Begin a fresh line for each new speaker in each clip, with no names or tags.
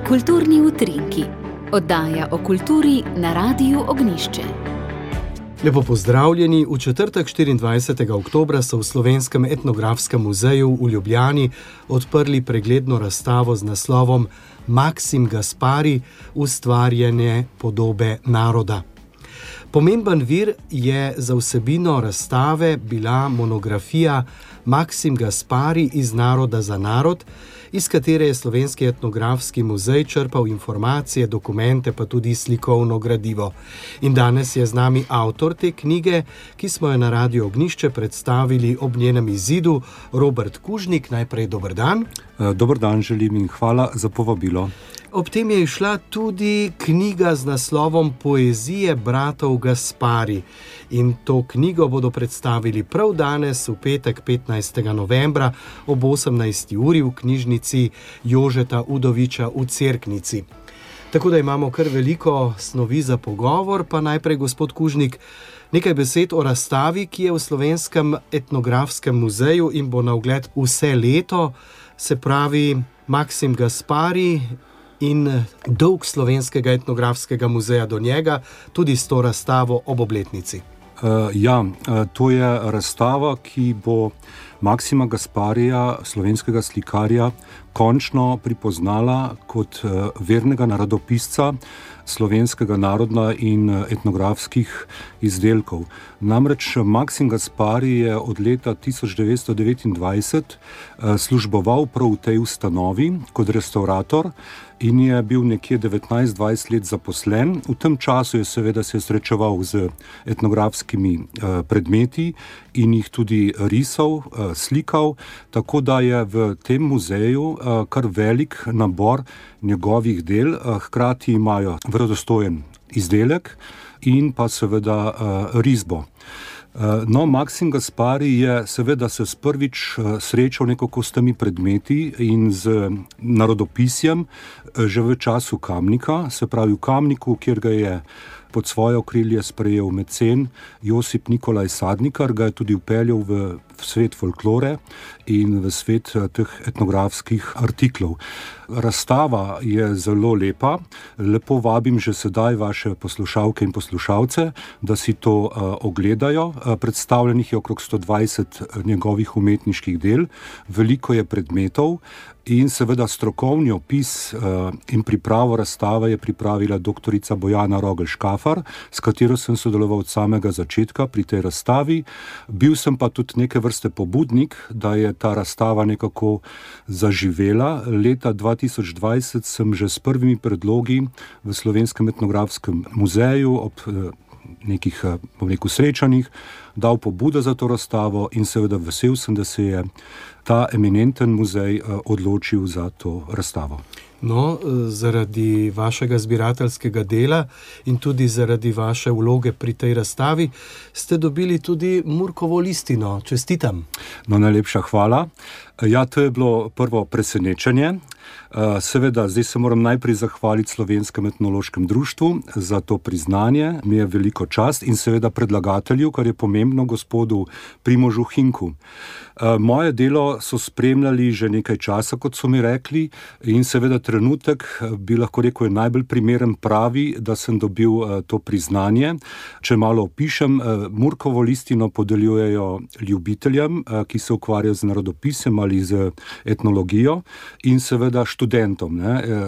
Kulturni utrinki. Oddaja o kulturi na Radiu Ognjišče.
Lepo pozdravljeni. V četrtek 24. oktobra so v Slovenskem etnografskem muzeju v Ljubljani odprli pregledno razstavo z naslovom Maksim Gaspari – ustvarjanje podobe naroda. Pomemben vir je za vsebino razstave bila monografija Maksim Gaspari iz naroda za narod, iz katere je Slovenski etnografski muzej črpal informacije, dokumente pa tudi slikovno gradivo. In danes je z nami avtor te knjige, ki smo jo na Radiu Ognjišče predstavili ob njenem izidu, Robert Kužnik. Najprej dober dan.
Dober dan želim in hvala za povabilo.
Ob tem je izšla tudi knjiga z naslovom Poezije bratov Gaspari. In to knjigo bodo predstavili prav danes, v petek 15. novembra ob 18. uri v knjižnici Jožeta Udoviča v Cerknici. Tako da imamo kar veliko snovi za pogovor, pa najprej, gospod Kužnik, nekaj besed o razstavi, ki je v Slovenskem etnografskem muzeju in bo na ogled vse leto, se pravi Maksim Gaspari in dolg Slovenskega etnografskega muzeja do njega, tudi s to razstavo ob obletnici.
To je razstava, ki bo Maksima Gasparija, slovenskega slikarja, končno pripoznala kot vernega narodopisca slovenskega naroda in etnografskih izdelkov. Namreč Maksim Gaspari je od leta 1929 služboval prav v tej ustanovi kot restavrator in je bil nekje 19-20 let zaposlen. V tem času je seveda se srečeval z etnografskimi predmeti in jih tudi risal, slikal, tako da je v tem muzeju kar velik nabor njegovih del, hkrati imajo verodostojen izdelek in pa seveda risbo. Maksim Gaspari je seveda se prvič srečal nekako s temi predmeti in z narodopisjem že v času Kamnika, se pravi v Kamniku, kjer ga je pod svoje okrilje sprejel mecen Josip Nikolaj Sadnikar, ga je tudi vpeljal v svet folklore in v svet teh etnografskih artiklov. Razstava je zelo lepa. Lepo vabim že sedaj vaše poslušalke in poslušalce, da si to ogledajo. Predstavljenih je okrog 120 njegovih umetniških del, veliko je predmetov in seveda strokovni opis in pripravo razstave je pripravila doktorica Bojana Rogl-Škafar, s katero sem sodeloval od samega začetka pri tej razstavi. Bil sem pa tudi neke vrste pobudnik, da je ta razstava nekako zaživela. Leta 2020 sem že s prvimi predlogi v Slovenskem etnografskem muzeju ob nekih, srečanjih dal pobudo za to razstavo in seveda vesel sem, da se je ta eminenten muzej odločil za to razstavo.
Zaradi vašega zbirateljskega dela in tudi zaradi vaše vloge pri tej razstavi ste dobili tudi Murkovo listino. Čestitam.
Najlepša hvala. To je bilo prvo presenečenje. Seveda, zdaj se moram najprej zahvaliti Slovenskem etnološkem društvu za to priznanje. Mi je veliko čast in seveda predlagatelju, kar je pomembno, gospodu Primožu Hinku. Moje delo so spremljali že nekaj časa, kot so mi rekli, in seveda trenutek, bi lahko rekel, je najbolj primeren pravi, da sem dobil to priznanje. Če malo opišem, Murkovo listino podeljujejo ljubiteljem, ki se ukvarjajo z narodopisjem ali z etnologijo, in seveda študentom.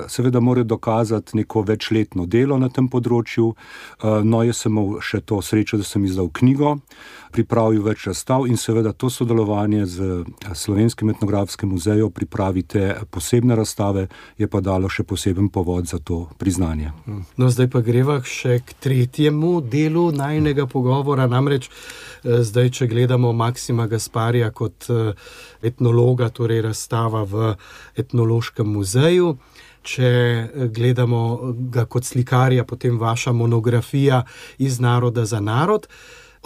Seveda morajo dokazati neko večletno delo na tem področju. Jaz sem imel še to srečo, da sem izdal knjigo, pripravil več razstav in seveda to sodelovanje z Slovenskim etnografskim muzejem pripravite posebne razstave, je pa dalo še poseben povod za to priznanje.
Zdaj pa greva še k tretjemu delu najinega pogovora, namreč zdaj, če gledamo Maksima Gasparija kot etnologa, torej razstava v etnološkem muzeju, če gledamo ga kot slikarja, potem vaša monografija Iz naroda za narod.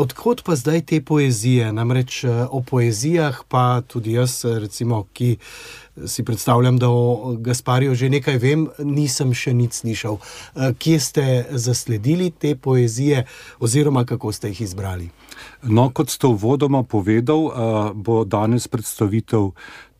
Odkot pa zdaj te poezije? Namreč o poezijah pa tudi jaz, recimo, ki si predstavljam, da o Gaspariju že nekaj vem, nisem še nič slišal. Kje ste zasledili te poezije oziroma kako ste jih izbrali?
Kot ste uvodoma povedal, bo danes predstavitev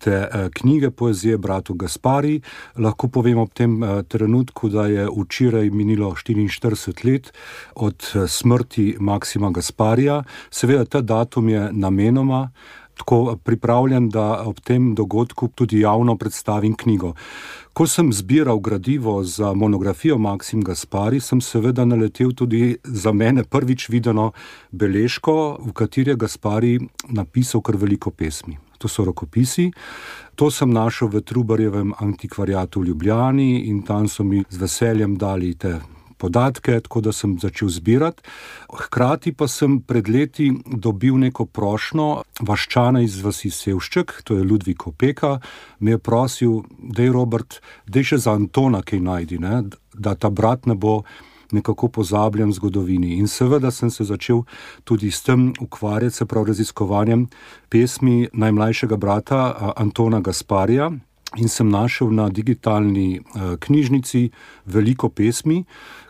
te knjige poezije bratov Gaspari. Lahko povem ob tem trenutku, da je včeraj minilo 44 let od smrti Maksima Gasparija. Seveda, ta datum je namenoma tako pripravljen, da ob tem dogodku tudi javno predstavim knjigo. Ko sem zbiral gradivo za monografijo Maksim Gaspari, sem seveda naletel tudi za mene prvič videno beležko, v kateri je Gaspari napisal kar veliko pesmi. To so rokopisi. To sem našel v Trubarjevem antikvariatu v Ljubljani in tam so mi z veseljem dali te podatke, tako da sem začel zbirati. Hkrati pa sem pred leti dobil neko prošnjo vaščana iz vasi Sevšček, to je Ludvik Opeka, me je prosil, dej Robert, dej še za Antona kaj najdi, ne? Da ta brat ne bo nekako pozabljen v zgodovini. In seveda sem se začel tudi s tem ukvarjati, se prav raziskovanjem pesmi najmlajšega brata Antona Gasparija, in sem našel na digitalni knjižnici veliko pesmi,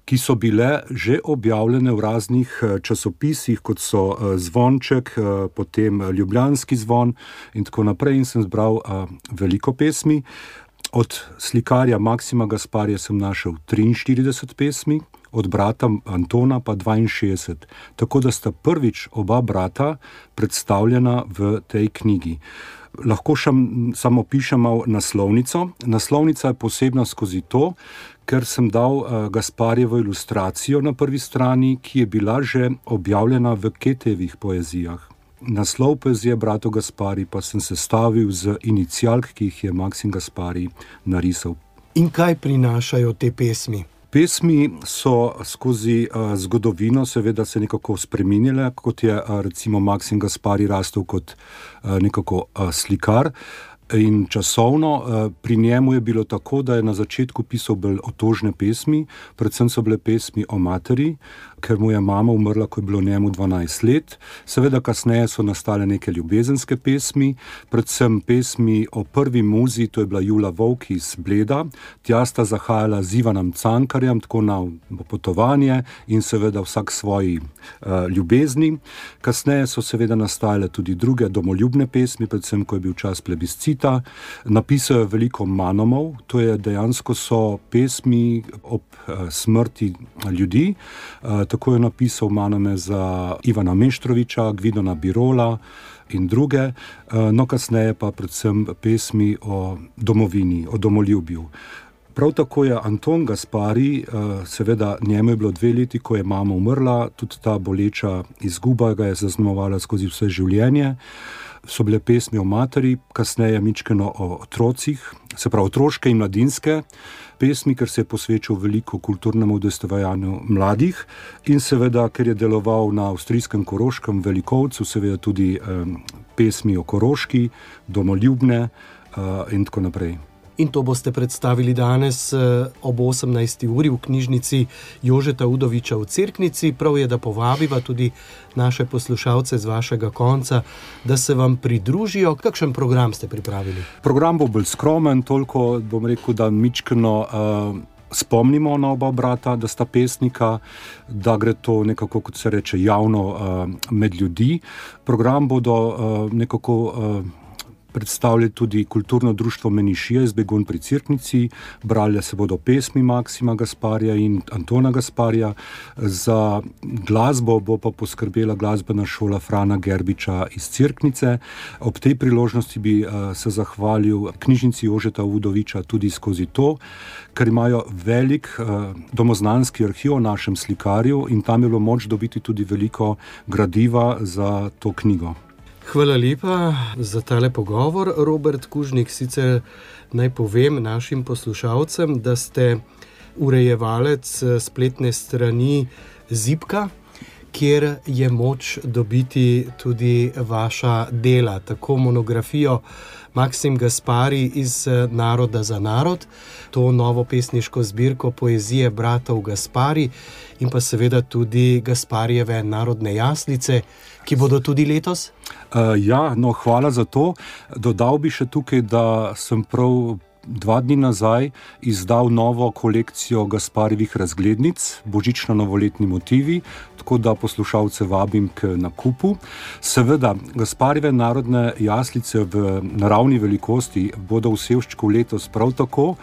ki so bile že objavljene v raznih časopisih, kot so Zvonček, potem Ljubljanski zvon in tako naprej, in sem zbral veliko pesmi. Od slikarja Maksima Gasparija sem našel 43 pesmi, od brata Antona pa 62. Tako da sta prvič oba brata predstavljena v tej knjigi. Lahko samo pišem naslovnico. Naslovnica je posebna skozi to, ker sem dal Gasparjevo ilustracijo na prvi strani, ki je bila že objavljena v Ketejevih poezijah. Naslov poezije bratov Gaspari pa sem sestavil z inicialk, ki jih je Maksim Gaspari narisal.
In kaj prinašajo te pesmi?
Pesmi so skozi zgodovino seveda se nekako spreminjale, kot je recimo Maksim Gaspari rastel kot nekako slikar. In časovno pri njemu je bilo tako, da je na začetku pisal bolj otožne pesmi, predvsem so bile pesmi o materi, ker mu je mama umrla, ko je bilo njemu 12 let. Seveda kasneje so nastale neke ljubezenske pesmi, predvsem pesmi o prvi muzi, to je bila Jula Volk iz Bleda. Tja sta zahajala z Ivanom Cankarjem, tako na potovanje in seveda vsak svoji ljubezni. Kasneje so seveda nastale tudi druge domoljubne pesmi, predvsem ko je bil čas plebiscita. Napisal je veliko manomov, to je dejansko so pesmi ob smrti ljudi. Tako je napisal manome za Ivana Meštroviča, Gvidona Birola in druge, no kasneje pa predvsem pesmi o domovini, o domoljubju. Prav tako je Anton Gaspari, seveda njemu je bilo 2 leti, ko je mama umrla, tudi ta boleča izguba ga je zaznamovala skozi vse življenje. So bile pesmi o materi, kasneje mičkeno o otrocih, se pravi otroške in mladinske pesmi, ker se je posvečal veliko kulturnemu udejstvovanju mladih in seveda, ker je deloval na avstrijskem Koroškem Velikovcu, seveda tudi pesmi o Koroški, domoljubne in tako naprej.
In to boste predstavili danes ob 18. uri v knjižnici Jožeta Udoviča v Cerknici. Prav je, da povabiva tudi naše poslušalce z vašega konca, da se vam pridružijo. Kakšen program ste pripravili?
Program bo bolj skromen, toliko bom rekel, da mičkeno spomnimo na oba brata, da sta pesnika, da gre to nekako, kot se reče, javno med ljudi. Program bodo nekako predstavljali tudi kulturno društvo Menišija iz Begunj pri Cerknici, brali se bodo pesmi Maksima Gasparija in Antona Gasparija, za glasbo bo pa poskrbela glasbena šola Frana Gerbiča iz Cerknice. Ob tej priložnosti bi se zahvalil knjižnici Jožeta Udoviča tudi skozi to, ker imajo velik domoznanski arhiv o našem slikarju in tam je bilo moč dobiti tudi veliko gradiva za to knjigo.
Hvala lepa za tale pogovor, Robert Kužnik. Sicer naj povem našim poslušalcem, da ste urejevalec spletne strani Zibka, kjer je moč dobiti tudi vaša dela, tako monografijo Maksim Gaspari iz Naroda za narod, to novo pesniško zbirko poezije bratov Gaspari in pa seveda tudi Gasparijeve narodne jaslice, ki bodo tudi letos?
Hvala za to. Dodal bi še tukaj, da sem prav 2 dni nazaj izdal novo kolekcijo Gasparijevih razglednic, božično-novoletni motivi, tako da poslušalce vabim k nakupu. Seveda, Gasparijeve narodne jaslice v naravni velikosti bodo v Sevščku letos prav tako.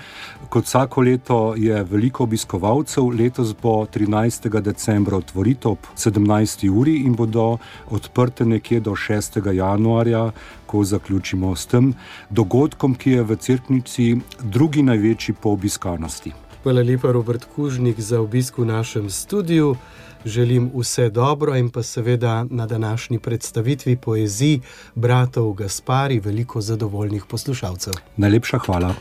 Kot vsako leto je veliko obiskovalcev, letos bo 13. decembra otvoritev ob 17. uri in bodo odprte nekje do 6. januarja, ko zaključimo s tem dogodkom, ki je v Cerknici drugi največji po obiskanosti.
Hvala lepa, Robert Kužnik, za obisk v našem studiu. Želim vse dobro in pa seveda na današnji predstavitvi poezij bratov Gaspari veliko zadovoljnih poslušalcev.
Najlepša hvala.